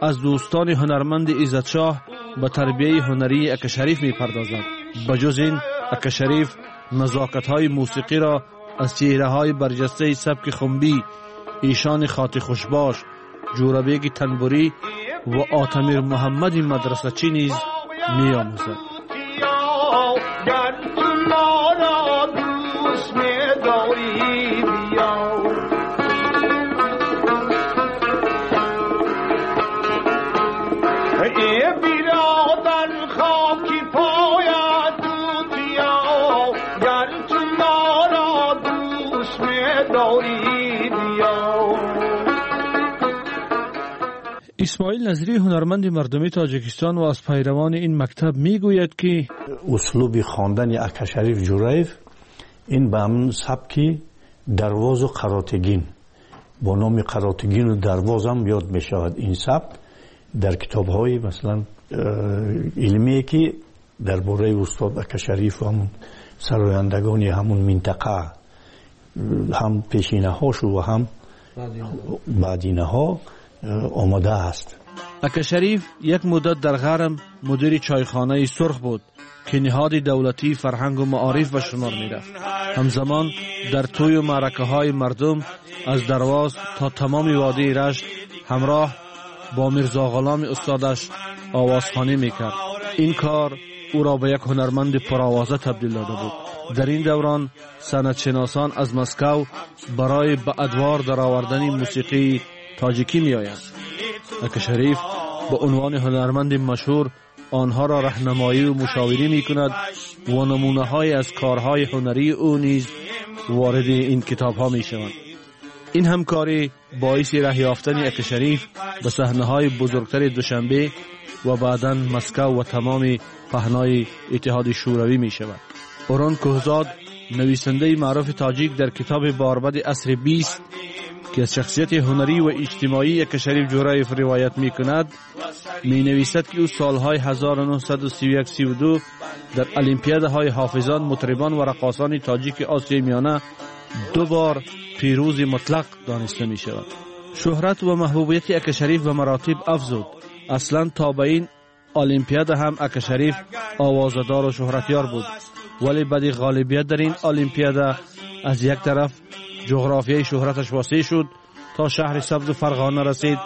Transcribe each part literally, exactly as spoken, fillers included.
аз дӯстони ҳунарманди Иззатшоҳ ба тарбияи ҳунарии Ака Шариф мепардозад. Ба ҷуз ин, Ака Шариф назокатҳои мусиқиро аз чеҳраҳои барҷастаи сабки хумбӣ, эшони хоти хушбош, Ҷӯрабеги Танбурӣ ва Отамир Муҳаммади мадрасачӣ низ меомӯзад. Исмоил Назирӣ, ҳунарманди мардумии Тоҷикистон ва аз пайравони ин мактаб, мегӯяд ки услуби хондани Ака Шариф Ҷӯраев ин ба ҳамон сабки дарвозу қаротегин, бо номи қаротегину дарвозам ёд мешавад. Ин сабк дар китобҳои масалан илмие ки дар бораи устод Ака Шариф ва ҳамон сарояндагони ҳамон минтақа, ҳам пешинаҳошу ва ҳам баъдинаҳо омода аст. Ака Шариф як муддат дар ғарм мудири чойхонаи сурх буд ки ниҳоди давлатии фарҳангу маориф ба шумор мерафт. Ҳамзамон дар тӯю маъракаҳои мардум аз Дарвоз то тамоми водии Рашт ҳамроҳ бо Мирзоғуломи устодаш овозхонӣ мекард. Ин кор ӯро ба як ҳунарманди пуровоза табдил дода буд. Дар ин даврон санъатшиносон аз Москав барои ба адвор даровардани мусиқии тоҷикӣ меоянд. Ака Шариф ба унвони ҳунарманди машҳур онҳоро раҳнамоӣ ва мушовирӣ мекунад ва намунаҳое аз корҳои ҳунарии ӯ низ вориди ин китобҳо мешаванд. Ин ҳамкорӣ боиси раҳ ёфтани Ака Шариф ба саҳнаҳои бузургтари Душанбе ва баъдан Москав ва тамоми паҳнои Иттиҳоди Шӯравӣ мешавад. Орон Кӯҳзод, нависандаи маъруфи тоҷик, дар китоби Барбади асри бист ки аз шахсияти ҳунарӣ ва иҷтимоии Ака Шариф Ҷӯраев ривоят мекунад, менависад ки ӯ солҳои ҳазору нӯҳсаду сию як сию ду дар олимпиадаҳои ҳофизон, мутрибон ва раққосони тоҷики Осиёи Миёна ду бор пирӯзи мутлақ дониста мешавад. Шӯҳрат ва маҳбубияти Ака Шариф ба маротиб афзуд. Аслан то ба ин олимпиада ҳам Ака Шариф овозадору шӯҳратёр буд, вале баъди ғолибият дар ин олимпиада аз як тараф ҷуғрофияи шӯҳраташ васеъ шуд то шаҳри Сабзу Фарғона расид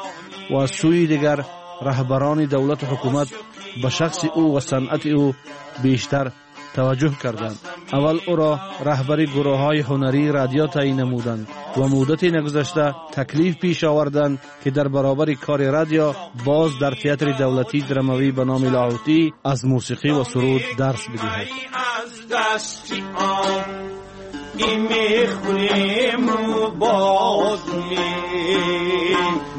ва аз сӯи дигар раҳбарони давлату ҳукумат ба шахси ӯ ва санъати ӯ бештар таваҷҷӯҳ карданд. Аввал ӯро раҳбари гурӯҳҳои ҳунарии радио таъйин намуданд ва муддате нагузашта таклиф пеш оварданд ки дар баробари кори радио боз дар театри давлатии драмавӣ ба номи Лоҳутӣ аз мусиқӣ ва суруд дарс бидиҳад. میخوریم و باز می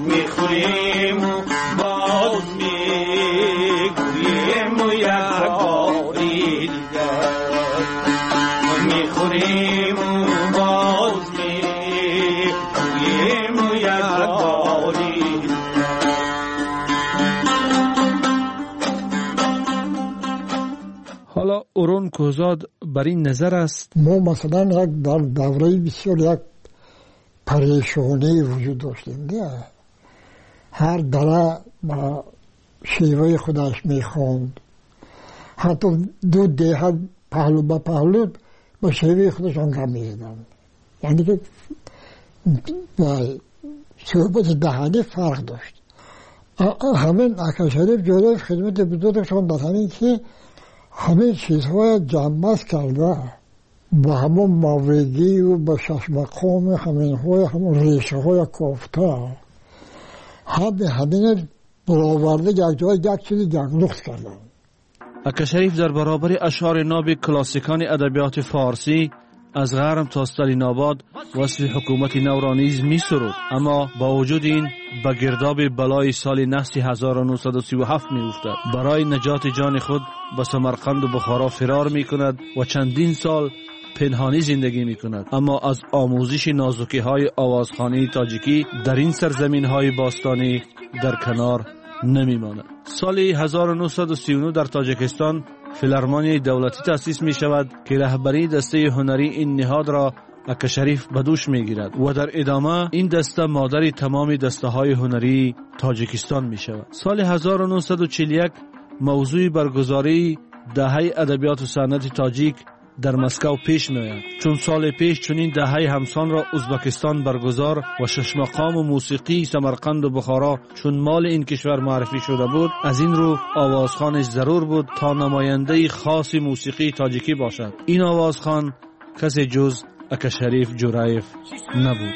میخوریم و باز میگوییم و یک باری دیگر میخوریم و باز میگوییم و یک باری. ҳоло Орон Кӯҳзод бар ин назар аст. Мо масалан як дар давраи бисёр як парешонӣ вуҷуд доштем. Ҳар дара ба шеваи худаш мехонд, ҳатто ду деҳа паҳлӯ ба паҳлӯ ба шеваи худашон гап мезаданд. Яъне ки суҳбати даҳанӣ фарқ дошт. Ҳамин Ака Шариф Ҷӯраев хидмати бузургашон дар ҳамин ки ҳамин чизҳоя ҷамъбаст карда ба ҳамон мавридию ба шашмақоми ҳаминҳоя ҳамон решаҳоя кофта ҳами ҳамина бароварда якҷоя як чизи яклухт карданд. Ака Шариф дар баробари ашъори ноби классикони адабиёти форсӣ аз ғарм то Сталинобод васфи ҳукумати навро низ месуруд, аммо бо вуҷуди ин ба гирдоби балои соли наҳси ҳазору нӯҳсаду сию ҳафт меуфтад. Барои наҷоти ҷони худ ба Самарқанду Бухоро фирор мекунад ва чандин сол пинҳонӣ зиндагӣ мекунад. Аммо аз омӯзиши нозукиҳои овозхонии тоҷикӣ дар ин сарзаминҳои бостонӣ дар канор намемонад. Соли ҳазору нӯҳсаду сию нӯҳ дар Тоҷикистон филармонияи давлатӣ таъсис мешавад ки раҳбарии дастаи ҳунарии ин ниҳодро ака Шариф ба дӯш мегирад ва дар идома ин даста модари тамоми дастаҳои ҳунарии Тоҷикистон мешавад. Соли ҳазору нӯҳсаду чилу як мавзӯи баргузории даҳаи адабиёту санъати тоҷик дар Москва пеш меояд. Чун соли пеш чунин даҳаи ҳамсонро Ӯзбекистон баргузор ва шашмақому мусиқии Самарқанду Бухоро чун моли ин кишвар муаррифӣ шуда буд, аз ин рӯ овозхонеш зарур буд то намояндаи хоси мусиқии тоҷикӣ бошад. Ин овозхон касе ҷуз ака Шариф Ҷӯраев набуд.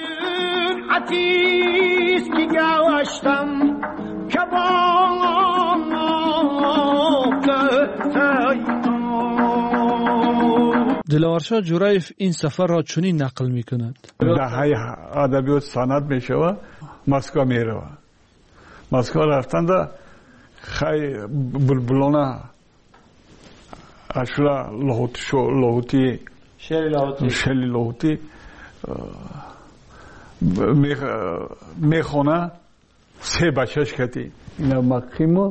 Диловаршоҳ Ҷӯраев ин сафарро чунин нақл мекунад. Даҳаи адабиёт санъат мешавад, Москва меравад. Москва рафтанда хай булбулона ашура лоҳутӣ шели лоҳутӣ мехона, се бачаш кати ина мақиму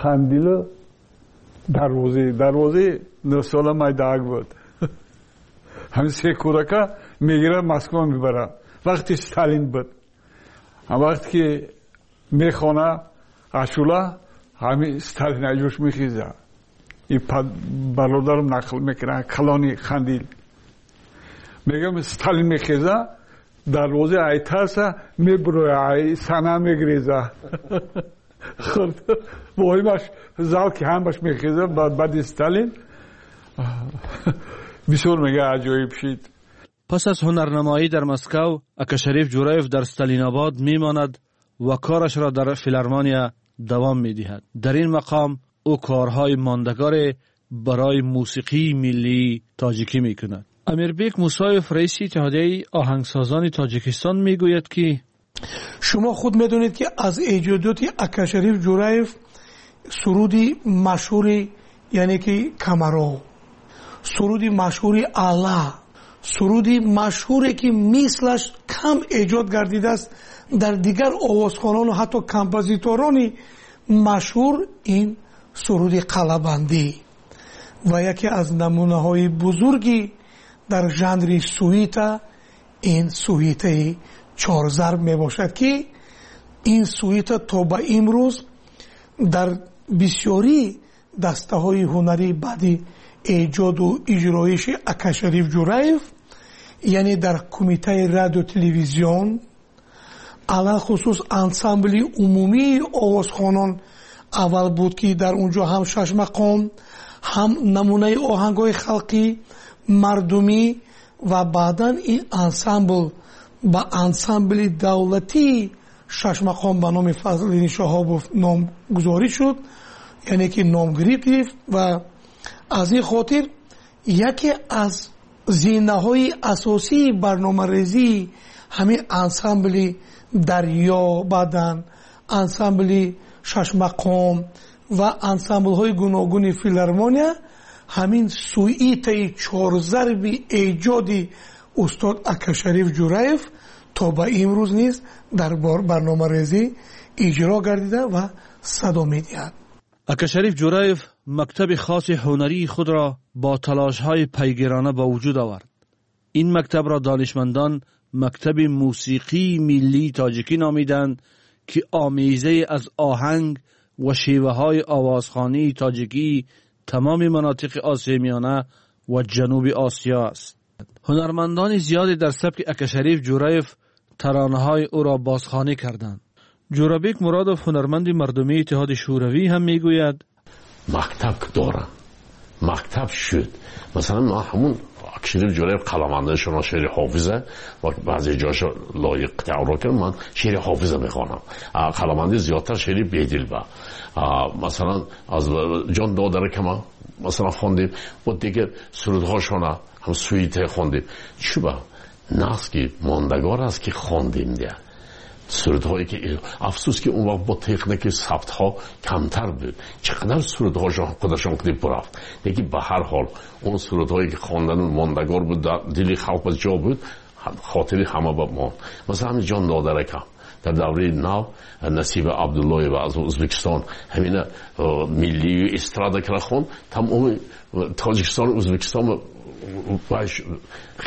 қандилу дарвозӣ дарвозӣ нӯҳсола майдаак буд. Ҳамин се кӯдака мегирад, Москва мебарад. Вақти Сталин буд. Вақте ки мехона ашула, ҳамин Сталин аҷош мехеза. И бародарам нақл мекунад, калони Қандил. Мегӯям Сталин мехеза, дарвозаи айтарса мебуроя, ай сана мегреза. Воҳимаш зал ки ҳамаш мехеза, баъди Сталин бисёр мега аҷоиб шид. Пас аз ҳунарнамоӣ дар Москав, ака Шариф Ҷӯраев дар Сталинобод мемонад ва корашро дар филармония давом медиҳад. Дар ин мақом ӯ корҳои мондагоре барои мусиқии миллии тоҷикӣ мекунад. Амирбек Мусоев, раиси иттиҳодияи оҳангсозони Тоҷикистон, мегӯяд ки шумо худ медонед ки аз эҷодиёти ака Шариф Ҷӯраев суруди машҳури яъне ки Камаро, суруди машҳури Алла, суруди машҳуре ки мислаш кам эҷод гардидааст дар дигар овозхонону ҳатто композиторони машҳур, ин суруди Қалабандӣ ва яке аз намунаҳои бузурги дар жанри суита ин суитаи чорзарб мебошад ки ин суита то ба имрӯз дар бисёри дастаҳои ҳунарии баъди эҷоду иҷроиши ака Шариф Ҷӯраев, яъне дар кумитаи радио телевизион, алалхусус ансамбли умумии овозхонон аввал буд ки дар он ҷо ҳам шашмақом, ҳам намунаи оҳангҳои халқӣ, мардумӣ ва баъдан ин ансамбл ба ансамбли давлатии шашмақом ба номи Фазлиддин Шаҳобов номгузорӣ шуд, яъне ки номгирӣ гирифт. Ва аз ин хотир яке аз зинаҳои асосии барномарезии ҳамин ансамбли дарё, баъдан ансамбли шашмақом ва ансамблҳои гуногуни филармония ҳамин суитаи чорзарби эҷоди устод ака Шариф Ҷӯраев то ба имрӯз низ дар барномарезӣ иҷро гардида ва садо медиҳад. Ака Шариф Ҷӯраев мактаби хоси ҳунарии худро бо талошҳои пайгирона ба вуҷуд овард. Ин мактабро донишмандон мактаби мусиқии миллии тоҷикӣ номиданд ки омезае аз оҳанг ва шеваҳои овозхонии тоҷикии тамоми манотиқи Осиёи Миёна ва Ҷануби Осиё аст. Ҳунармандони зиёде дар сабки ака Шариф Ҷӯраев таронаҳои ӯро бозхонӣ карданд. Ҷӯрабек Муродов, ҳунарманди мардумии Иттиҳоди Шӯравӣ, ҳам мегӯяд: мактаб дорам, мактаб шуд. Масалан, ман ҳамун ака Шариф Ҷӯраев қаламандашона шеъри Ҳофиза ва баъзе ҷоша лоиқ таъро кард, ман шеъри Ҳофиза мехонам. Қаламанди зиёдтар шеъри Бедил ба. Масалан, аз ҷон додаракама масалан хондем, бо дигар сурудҳошона ҳам суите хондем. Чуба нағз ки мондагор аст ки хондем дия. Сурудҳое ки афсӯс ки он вақт бо техники сабтҳо камтар буд, чӣ қадар сурудҳошон худашон куди бурафт. Лекин ба ҳар ҳол он сурудҳое ки хондану мондагор буд, дар дили халқ ҷо буд, хотири ҳама ба монд. Масалан, ҳамин ҷон додаракам дар давраи нав Насиба Абдуллоева аз Ӯзбекистон ҳамина миллию эстрада кара хонд, тамоми Тоҷикистону Ӯзбекистон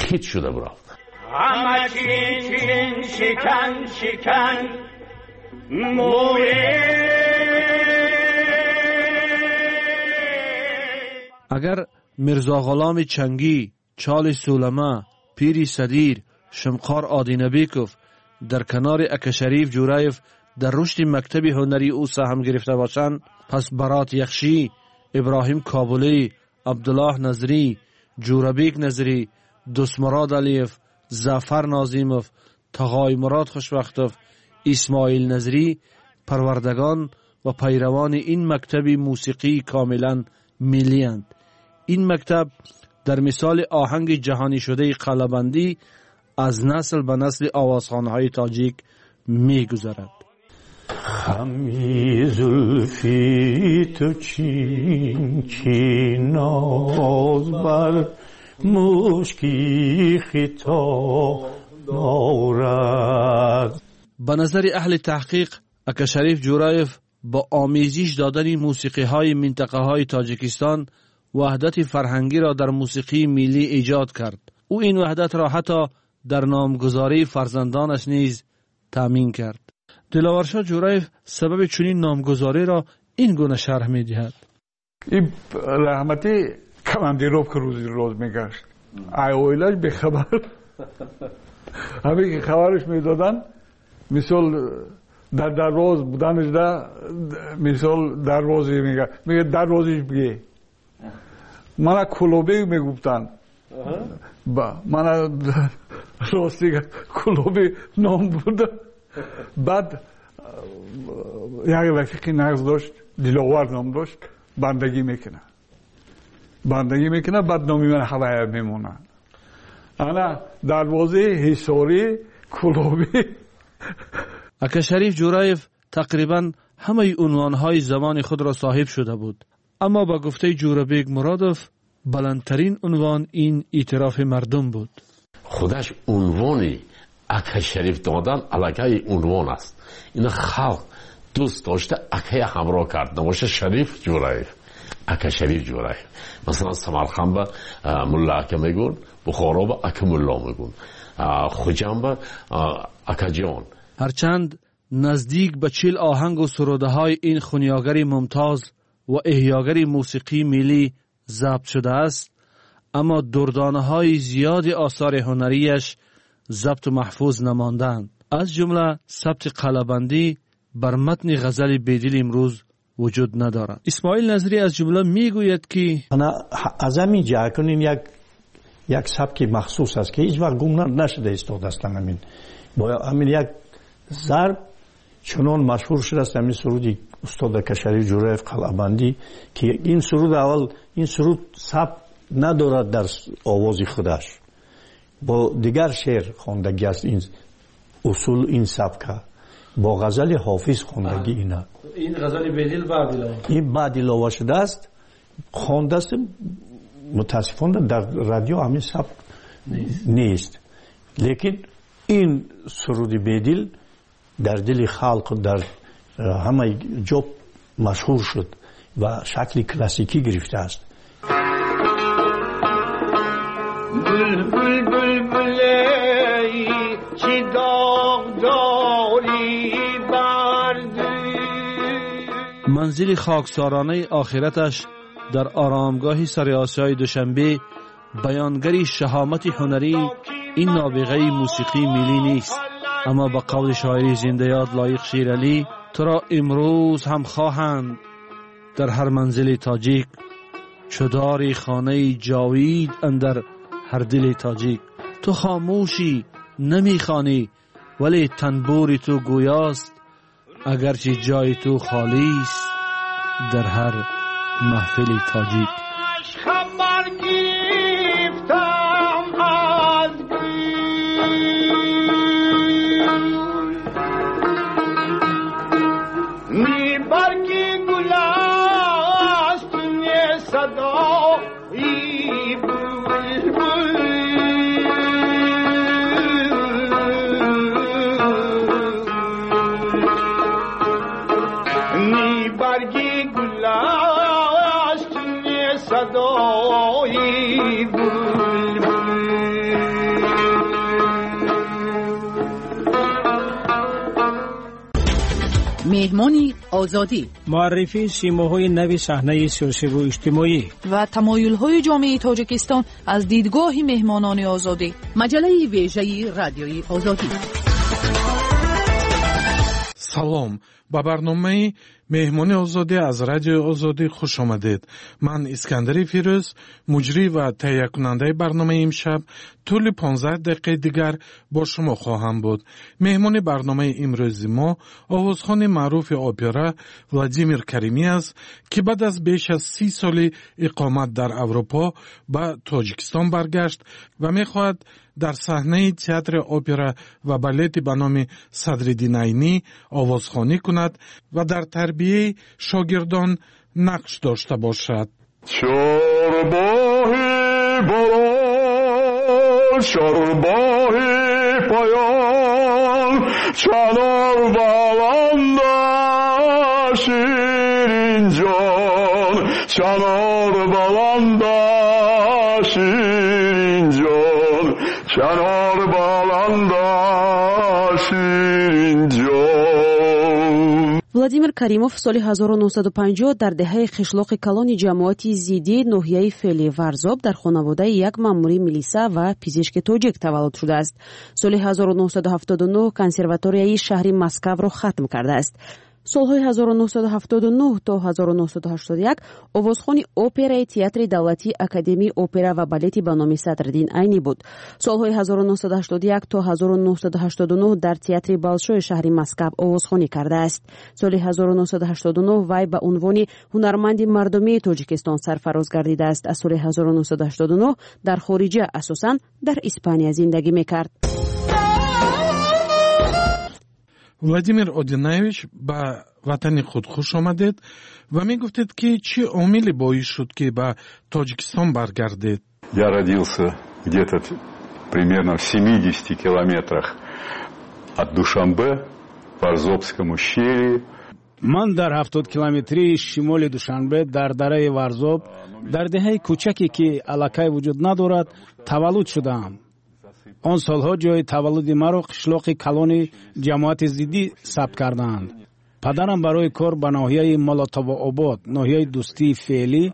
хит шуда бурафт. همه چین چین شکن شکن موی. اگر میرزا غلام چنگی، چال سولمه، پیری صدیر، شمقار آدینبیکوف در کنار اکا شریف جورایف در رشد مکتب هنری او سهم گرفته باشند، پس برات یخشی، ابراهیم کابلی، عبدالله نظری، جورابیک نظری، دوستمراد علیف، ظفر نازیموف، تغای مراد خوشبختوف، اسماعیل نظری پروردگان و پیروان این مکتب موسیقی کاملا ملی اند. این مکتب در مثال آهنگ جهانی شده قلبندی از نسل به نسل آوازخوان‌های تاجیک می‌گذرد. خمی زلفی تو چین چین ناز بر مشکی خطا دارد. به نظر اهل تحقیق اکا شریف جورایف با آمیزش دادن موسیقی های منطقه های تاجیکستان وحدت فرهنگی را در موسیقی ملی ایجاد کرد. او این وحدت را حتی در نامگذاری فرزندانش نیز تامین کرد. دلاورشاه جورایف سبب چنین نامگذاری را این گونه شرح می دهد. این رحمتی کماندیروف که روزی روز میگشت، ای اویلاش به خبر همه که خبرش میدادن، مثال در در روز بودنش ده، مثال در روزی میگه، میگه در روزیش بگه. من کلوبی میگفتن، با من راستی کلوبی نام بود. بعد یک رفیقی نقص داشت، دلاور نام داشت، بندگی میکنه بندگی میکنه، بعد نامی من هوای میمونن. انا دروازه حصاری کلوبی. اکا شریف جورایف تقریبا همه عنوانهای زمان خود را صاحب شده بود، اما با گفته جورابیک مرادوف بلندترین عنوان این اعتراف مردم بود. خودش عنوانی اکا شریف دادن علاقه عنوان است. این خلق دوست داشته اکای همراه کرد، نباشه شریف جورایف، اکا شریف جورایف. مثلا سمرقند به ملا اکا میگون، بخارا به اکا ملا میگون، خوجند به اکا جان. هرچند نزدیک به چهل آهنگ و سروده های این خونیاگر ممتاز و احیاگر موسیقی ملی ضبط شده است، اما دردانه های زیاد آثار هنریش ضبط و محفوظ نماندند. از جمله ثبت قلبندی بر متن غزل بیدل امروز وجود ندارد. اسماعیل نظری از جمله میگوید که از همین جا کنین یک یک سبک مخصوص است که هیچ وقت گم نشده استاد است. همین با همین یک ضرب چنان مشهور شده است، همین سرودی استاد اکا شریف جورایف قلعه‌بندی، که این سرود اول این سرود سبک ندارد در آواز خودش، با دیگر شعر خواندگی است. این اصول این سبکه با غزل حافظ خواندگی اینا. این غزل بیدل بعد علاوه، این بعد علاوه شده است، خوانده است. متاسفانه در رادیو همین سبک نیست, نیست. لیکن این سرود بیدل در دل خلق در همه جا مشهور شد و شکل کلاسیکی گرفته است. بلبل بلبل ای چی داغ داری بر دل. منزل خاکسارانه آخرتش در آرامگاه سر آسیای دوشنبه بیانگر شهامت هنری این نابغه موسیقی ملی نیست، اما به قول شاعر زنده یاد لایق شیرعلی، تو را امروز هم خواهند در هر منزل تاجیک، چو داری خانه جاوید اندر هر دل تاجیک. تو خاموشی نمیخوانی ولی تنبور تو گویاست، اگرچه جای تو خالی است در هر محفل تاجیک. صدای بلبل. Меҳмони Озодӣ, муаррифии симоҳои нави саҳнаи сиёсиву иҷтимоӣ ва тамоюлҳои ҷомеаи Тоҷикистон аз дидгоҳи меҳмонони Озодӣ. Маҷаллаи вежаи Радиои Озодӣ. Салом, ба барномаи Меҳмони Озодӣ аз Радиои Озодӣ хуш омадед. Ман Искандари Фирӯз, муҷрӣ ва таҳиякунандаи барномаи имшаб, тӯли понздаҳ дақиқаи дигар бо шумо хоҳам буд. Меҳмони барномаи имрӯзи мо овозхони маъруфи опера Владимир Каримӣ аст, ки баъд аз беш аз си соли иқомат дар Аврупо ба Тоҷикистон баргашт ва мехоҳад дар саҳнаи театри опера ва балети ба номи Садриддин Айнӣ овозхонӣ кунад ва дар тарбияи шогирдон нақш дошта бошад. Чорбоҳи боло, чорбоҳи поён, чанор баланда ширинҷон, чанор баланда ширинҷон, чанор баланда ширинҷон. Владимир Каримов соли ҳазору нӯҳсаду панҷоҳ дар деҳаи қишлоқи калони ҷамоати Зидӣ ноҳияи Фели Варзоб дар хонаводаи як маъмури милиса ва пизишки тоҷик таваллуд шудааст. Соли ҳазору нӯҳсаду ҳафтоду нӯҳ консерваторияи шаҳри Москавро хатм кардааст. Солҳои ҳазору нӯҳсаду ҳафтоду нӯҳ то ҳазору нӯҳсаду ҳаштоду як овозхони операи театри давлатии Академияи опера ва балети ба номи Садриддин Айнӣ буд. Солҳои ҳазору нӯҳсаду ҳаштоду як то ҳазору нӯҳсаду ҳаштоду нӯҳ дар театри Болшои шаҳри Москав овозхонӣ кардааст. Соли ҳазору нӯҳсаду ҳаштоду нӯҳ вай ба унвони ҳунарманди мардумии Тоҷикистон сарфароз гардидааст. Аз соли ҳазору нӯҳсаду ҳаштоду нӯҳ дар хориҷа, асосан дар Испания зиндагӣ мекард. Владимир Одинаевич, ба ватани худ хуш омадед ва мегуфтед, ки чӣ омиле боис шуд, ки ба Тоҷикистон баргардед? Я родился где-то примерно в семидесяти километрах от Душанбе, в Варзобском ущелье. Ман дар ҳафтод километрии шимоли Душанбе дар дараи Варзоб, дар деҳаи кӯчаке, ки аллакай вуҷуд надорад, таваллуд шудаам. Он солҳо ҷои таваллуди маро қишлоқи калони ҷамоати Зиддӣ сабт кардаанд. Падарам барои кор ба ноҳияи Молотовообод, ноҳияи Дӯстии феълӣ,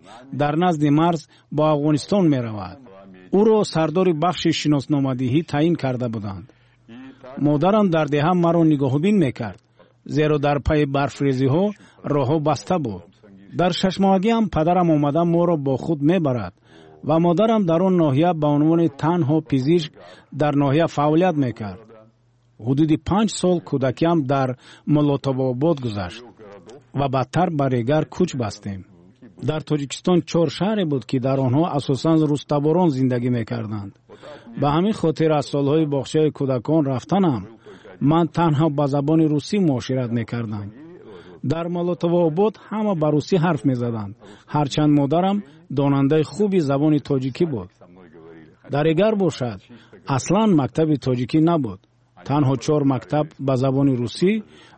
дар назди марз бо Афғонистон меравад. Ӯро сардори бахши шиносномадиҳӣ таъин карда буданд. Модарам дар деҳа маро нигоҳубин мекард, зеро дар пайи барфрезиҳо роҳҳо баста буд. Дар шашмоҳагиам падарам омада моро бо худ мебарад ва модарам дар он ноҳия ба унвони танҳо пизишк дар ноҳия фаъолият мекард. Ҳудуди панҷ сол кӯдакиам дар Молотовообод гузашт ва баъдтар ба Регар кӯч бастем. Дар Тоҷикистон чор шаҳре буд, ки дар онҳо асосан рустаборон зиндагӣ мекарданд. Ба ҳамин хотир аз солҳои боғчаи кӯдакон рафтанам ман танҳо ба забони русӣ муошират мекардам. Дар Молотовообод ҳама ба русӣ ҳарф мезаданд, ҳарчанд модарам донандаи хуби забони тоҷикӣ буд. Дар Регар бошад, аслан мактаби тоҷикӣ набуд. Танҳо чор мактаб ба забони русӣ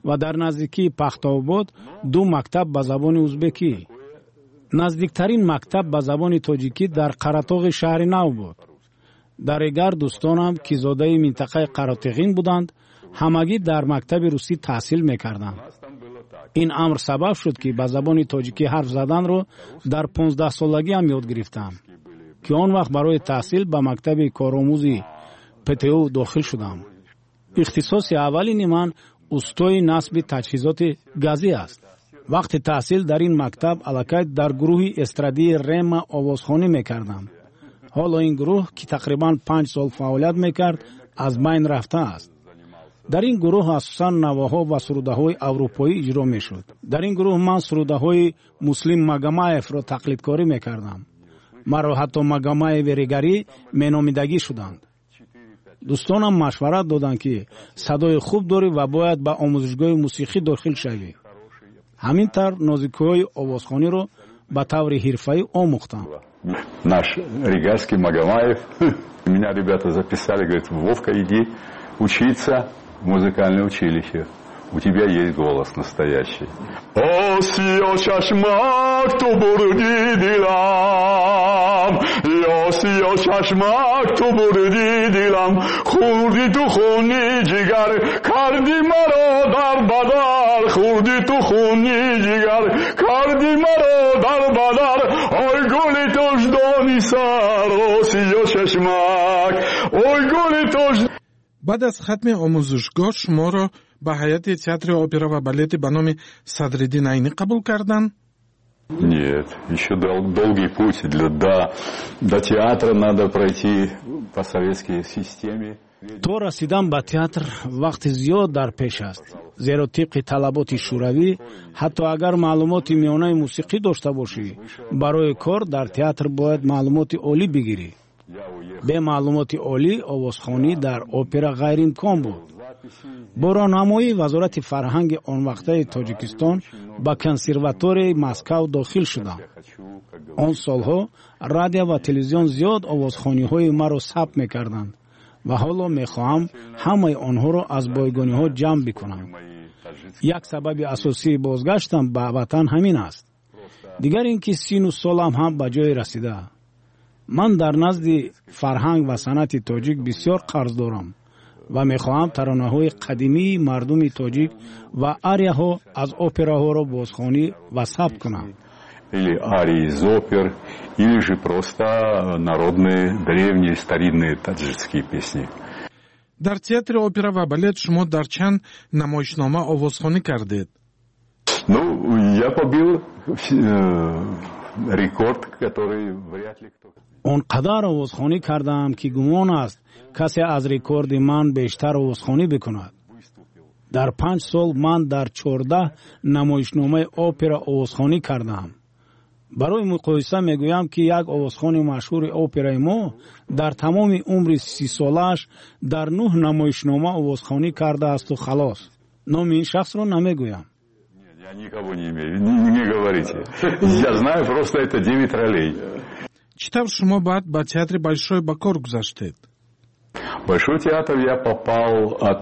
ва дар наздикии Пахтаобод ду мактаб ба забони узбекӣ. Наздиктарин мактаб ба забони тоҷикӣ дар Қаратоғи шаҳри нав буд. Дар Регар дӯстонам, ки зодаи минтақаи Қаротиғин буданд, ҳамагӣ дар мактаби русӣ таҳсил мекарданд. Ин амр сабаб шуд, ки ба забони тоҷикӣ ҳарф заданро дар понздаҳсолагиам ёд гирифтам, ки он вақт барои таҳсил ба мактаби коромӯзи ПТУ дохил шудам. Ихтисоси аввалини ман устои насби таҷҳизоти газӣ аст. Вақти таҳсил дар ин мактаб аллакай дар гурӯҳи эстрадии Рема овозхонӣ мекардам. Ҳоло ин гурӯҳ, ки тақрибан панҷ сол фаъолият мекард, аз байн рафтааст. Дар ин гурӯҳ асосан навоҳо ва сурудаҳои аврупоӣ иҷро мешуд. Дар ин гурӯҳ ман сурудаҳои Муслим Магомаевро тақлидкорӣ мекардам. Маро ҳатто Магомаеви Регарӣ меномидагӣ шуданд. Дӯстонам машварат доданд, ки садои хуб дорӣ ва бояд ба омӯзишгоҳи мусиқӣ дохил шавӣ. Ҳамин тавр нозикиҳои овозхониро ба таври ҳирфаӣ омӯхтам. Наш регарский Магомаев, меня ребята записали, говорит: Вовка, иди учиться в музыкальное училище. У тебя есть голос настоящий. Осиё чашмак ту бурди дилам, осиё чашмак, ту бурди дилам, хӯрди ту хуни ҷигар, карди маро дар бадар, хӯрди ту хуни ҷигар, карди маро дар бадар, ой гули тоҷдони сар, осиё чашмак, ой гули тоҷ. Баъд аз хатми омӯзишгоҳ шуморо ба ҳайати театри опера ва балети ба номи Садриддин Айнӣ қабул карданд? Нет, еще дол долгий путь для, до, до театра надо пройти по советской системе. То расидан ба театр вақти зиёд дар пеш аст, зеро тибқи талаботи шӯравӣ ҳатто агар маълумоти миёнаи мусиқӣ дошта бошӣ, барои кор дар театр бояд маълумоти олӣ бигирӣ. Бе маълумоти олӣ овозхонӣ дар опера ғайриимкон буд. Бо роҳнамоии Вазорати фарҳанги онвақтаи Тоҷикистон ба консерваторияи Москав дохил шудам. Он солҳо радио ва телевизион зиёд овозхониҳои маро сабт мекарданд ва ҳоло мехоҳам ҳамаи онҳоро аз бойгониҳо ҷамъ бикунам. Як сабаби асосии бозгаштам ба ватан ҳамин аст. Дигар ин ки сину солам ҳам ба ҷое расида. Ман дар назди фарҳанг ва санъати тоҷик бисёр қарз дорам ва мехоҳам таронаҳои қадимии мардуми тоҷик ва арияҳо аз операҳоро бозхонӣ ва сабт кунам. Или арии из опер, или же просто народные, древние, старинные таджикские песни. Дар театри опера ва балет шумо дар чанд намоишнома овозхонӣ кардед? Ну, я побил рекорд, который вряд ли кто... Он қадар овозхонӣ кардаам, ки гумон аст касе аз рекорди ман бештар овозхонӣ бикунад. Дар панҷ сол ман дар чордаҳ намоишномаи опера овозхонӣ кардаам. Барои муқоиса мегӯям, ки як овозхони машҳури операи мо дар тамоми умри сисолааш дар нӯҳ намоишнома овозхонӣ кардаасту халос. Номи ин шахсро намегӯям. Я никого не имею, не говорите. Я знаю просто это девять ролей. Чӣ тавр шумо баъд ба театри Большой ба кор гузаштед? Большой театр я попал от...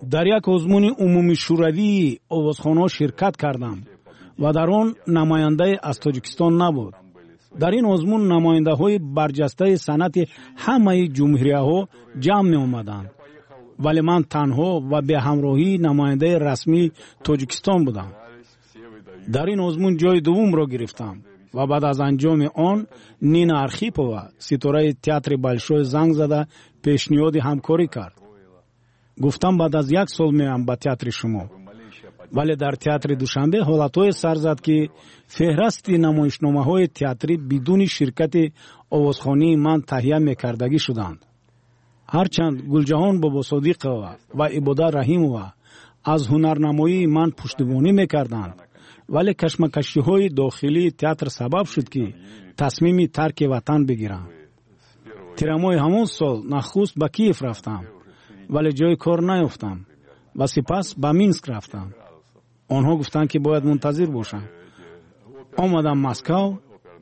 Дар як озмуни умумишӯравии овозхонҳо ширкат кардам ва дар он намояндае аз Тоҷикистон набуд. Дар ин озмун намояндаҳои барҷастаи санъати ҳамаи ҷумҳурияҳо ҷамъ меомаданд, вале ман танҳо ва беҳамроҳии намояндаи расмии Тоҷикистон будам. Дар ин озмун ҷои дуввумро гирифтам ва баъд аз анҷоми он Нина Архипова, ситораи театри Большой, занг зада пешниҳоди ҳамкорӣ кард. Гуфтам, баъд аз як сол меоям ба театри шумо. Вале дар театри Душанбе ҳолатҳое сар зад, ки феҳрасти намоишномаҳои театрӣ бидуни ширкати овозхонии ман таҳия мекардагӣ шуданд. Ҳарчанд Гулҷаҳон Бобосодиқова ва Ибода Раҳимова аз ҳунарнамоии ман пуштибонӣ мекарданд, вале кашмакашиҳои дохилии театр сабаб шуд, ки тасмими тарки ватан бигирам. Тирамоҳи ҳамон сол нахуст ба Киев рафтам, вале ҷои кор наёфтам ва сипас ба Минск рафтам. Онҳо гуфтанд, ки бояд мунтазир бошам. Омадам Москав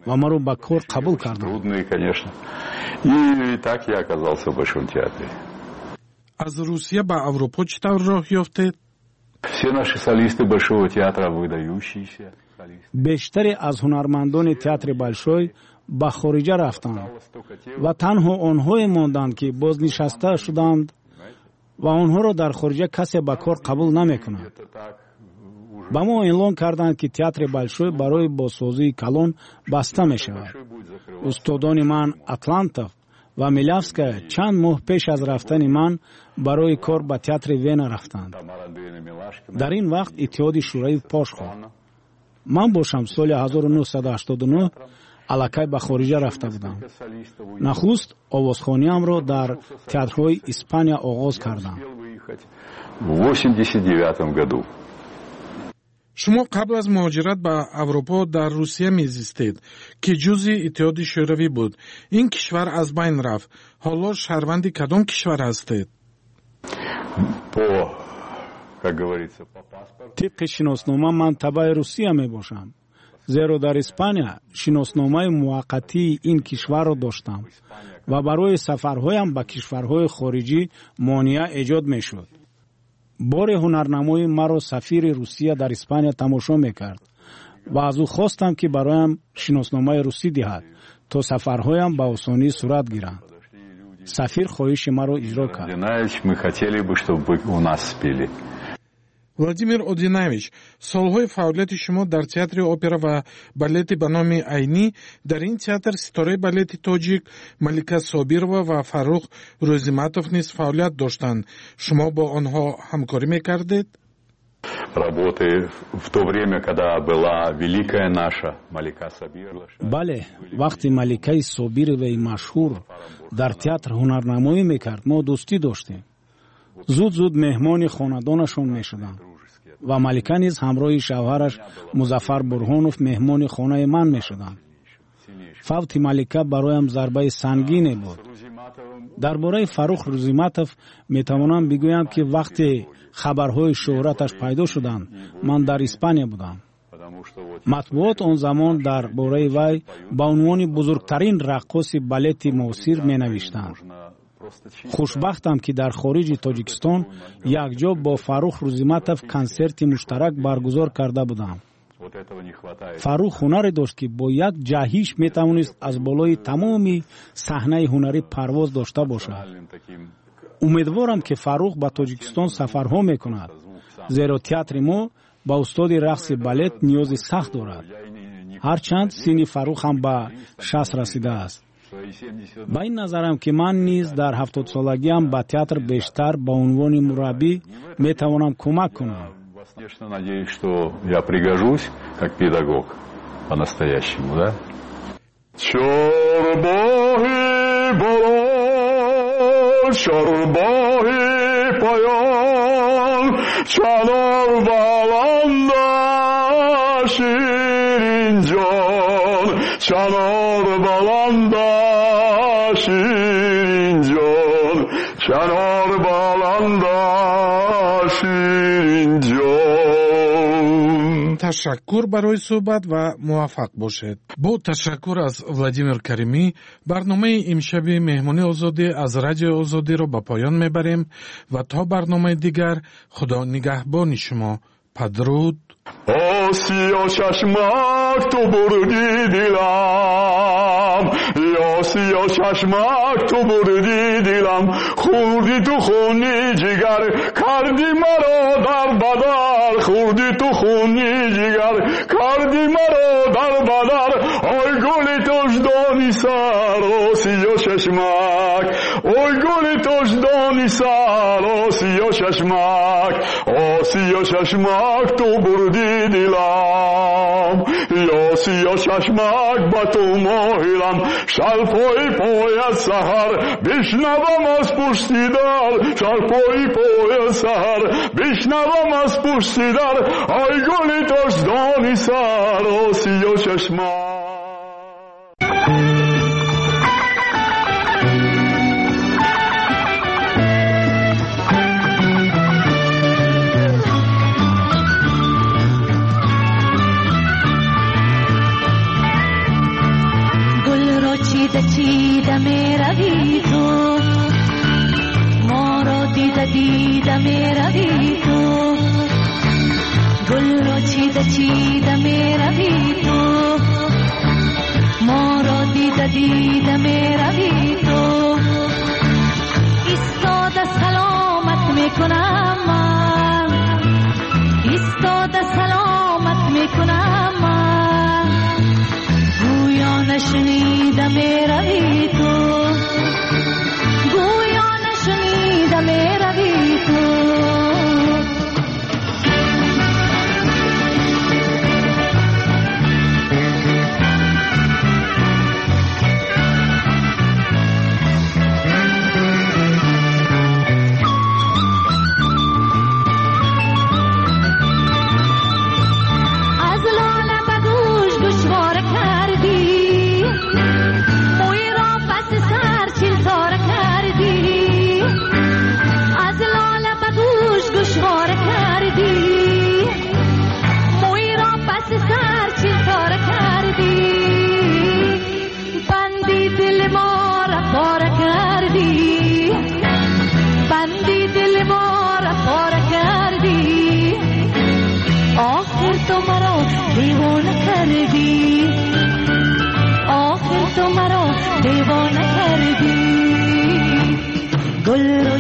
ва маро ба кор қабул карданд. Трудные, конечно. И так я оказался в Большом театре. Аз Русия ба Аврупо чӣ тавр роҳ ёфтед? Все наши солисты Большого театра выдающиеся. Бештаре аз ҳунармандони театри Большой ба хориҷа рафтанд ва танҳо онҳое монданд, ки бознишаста шуданд ва онҳоро дар хориҷа касе ба кор қабул намекунад. Ба мо эълон карданд, ки театри Большой барои бозсозии калон баста мешавад. Устодони ман Атлантов ва Милявская чанд моҳ пеш аз рафтани ман барои кор ба театри Вена рафтанд. Дар ин вақт Иттиҳоди Шӯравӣ пош хӯрд. Ман бошам соли ҳазору нӯҳсаду ҳаштоду нӯҳ аллакай ба хориҷа рафта будам. Нахуст овозхониамро дар театрҳои Испания оғоз кардам. В восемьдесят девятом году. Шумо қабл аз муҳоҷират ба Аврупо дар Русия мезистед, ки ҷузъи Иттиҳоди Шӯравӣ буд. Ин кишвар аз байн рафт. Ҳоло шаҳрванди кадом кишвар ҳастед? По, как говорится, по паспорту. Тибқи шиноснома ман табаи Русия мебошам, зеро дар Испания шиносномаи муваққатии ин кишварро доштам ва барои сафарҳоям ба кишварҳои хориҷӣ монеа эҷод мешуд. Боре ҳунарнамои маро сафири Русия дар Испания тамошо мекард ва аз ӯ хостам, ки бароям шиносномаи русӣ диҳад, То сафарҳоям ба осонӣ сурат гиранд. Сафир хоҳиши маро иҷро кард. Мы хотели бы, чтобы вы у нас спели. Владимир Одинаевич, солҳои фаъолияти шумо дар театри опера ва балети ба номи Айнӣ, дар ин театр ситораи балети тоҷик Малика Собирова ва Фаррух Рӯзиматов низ фаъолият доштанд. Шумо бо онҳо ҳамкорӣ мекардед? Работы в то время, когда была великая наша Малика Сабирова. Бале, вақти Маликаи Собироваи машҳур дар театр ҳунарнамоӣ мекард, мо дӯстӣ доштем. Зуд-зуд меҳмони хонадонашон мешудам ва Малика низ ҳамроҳи шавҳараш Музаффар Бурҳонов меҳмони хонаи ман мешуданд. Фавти Малика бароям зарбаи сангине буд. Дар бораи Фаррух Рӯзиматов метавонам бигӯям, ки вақте хабарҳои шӯҳраташ пайдо шуданд, ман дар Испания будам. Матбуот он замон дар бораи вай ба унвони бузургтарин раққоси балети муосир менавиштанд. Хушбахтам, ки дар хориҷи Тоҷикистон якҷо бо Фаррух Рӯзиматов консерти муштарак баргузор карда будам. Фаррух ҳунаре дошт, ки бо як ҷаҳиш метавонист аз болои тамоми саҳнаи ҳунарӣ парвоз дошта бошад. Умедворам, ки Фаррух ба Тоҷикистон сафарҳо мекунад, зеро театри мо ба устоди рақси балет ниёзи сахт дорад. Ҳарчанд синни Фаррух ҳам ба шаст расидааст. Ба ин назарам, ки ман низ дар ҳафтодсолагиам ба театр бештар ба унвони мураббӣ метавонам кӯмак кунам. Конечно, надеюсь, что я пригожусь как педагог по-настоящему, да? Чорбоҳи боло, чорбоҳи поён, чанор баланда ширинҷон, чанор баланда ширинҷон, чанор баланда ширинҷон. Ташаккур барои суҳбат ва муваффақ бошед. Бо ташаккур аз Владимир Каримӣ барномаи имшаби Меҳмони Озодӣ аз Радиои Озодиро ба поён мебарем ва то барномаи дигар Худо нигаҳбони шумо. Падруд. Осиё чашмак, ту бурди дилам, Осиё чашмак, ту бурди дилам, хӯрди ту хуни ҷигар, карди маро дар бадар, хӯрди ту хуни ҷигар, карди маро дар бадар, ой гули тоҷдони сар, Осиё чашмак, ой гули тоҷдони сар, Осиё чашмак, Осиё чашмак, ту бурди дилам, Осиё чашмак, ба ту моҳилам, шалпои пояд саҳар, бишнавам аз пушти дар, шалпои пояд саҳар, бишнавам аз пушти дар, ой гули тоҷдони сар, Осиё чашмак. چیده چیده می روی تو، ما را دیده دیده می روی تو، گل را چیده چیده می روی تو، ما را دیده دیده می روی تو، ایستاده سلامت می کنم من، ایستاده سلامت می کنم من، گویا نشنیده می روی تو، گویا نشنیده می روی تو. از لاله به گوش گوشواره کردی، موی را پس سر چیل تاره کردی، از لاله به گوش گوشواره کردی، موی را پس سر چیل تاره کردی، بندی دل ما را پاره کردی، بندی دل ما را پاره کردی، آخر تو مرا دیوانه کردی، آخر تو مرا گل رو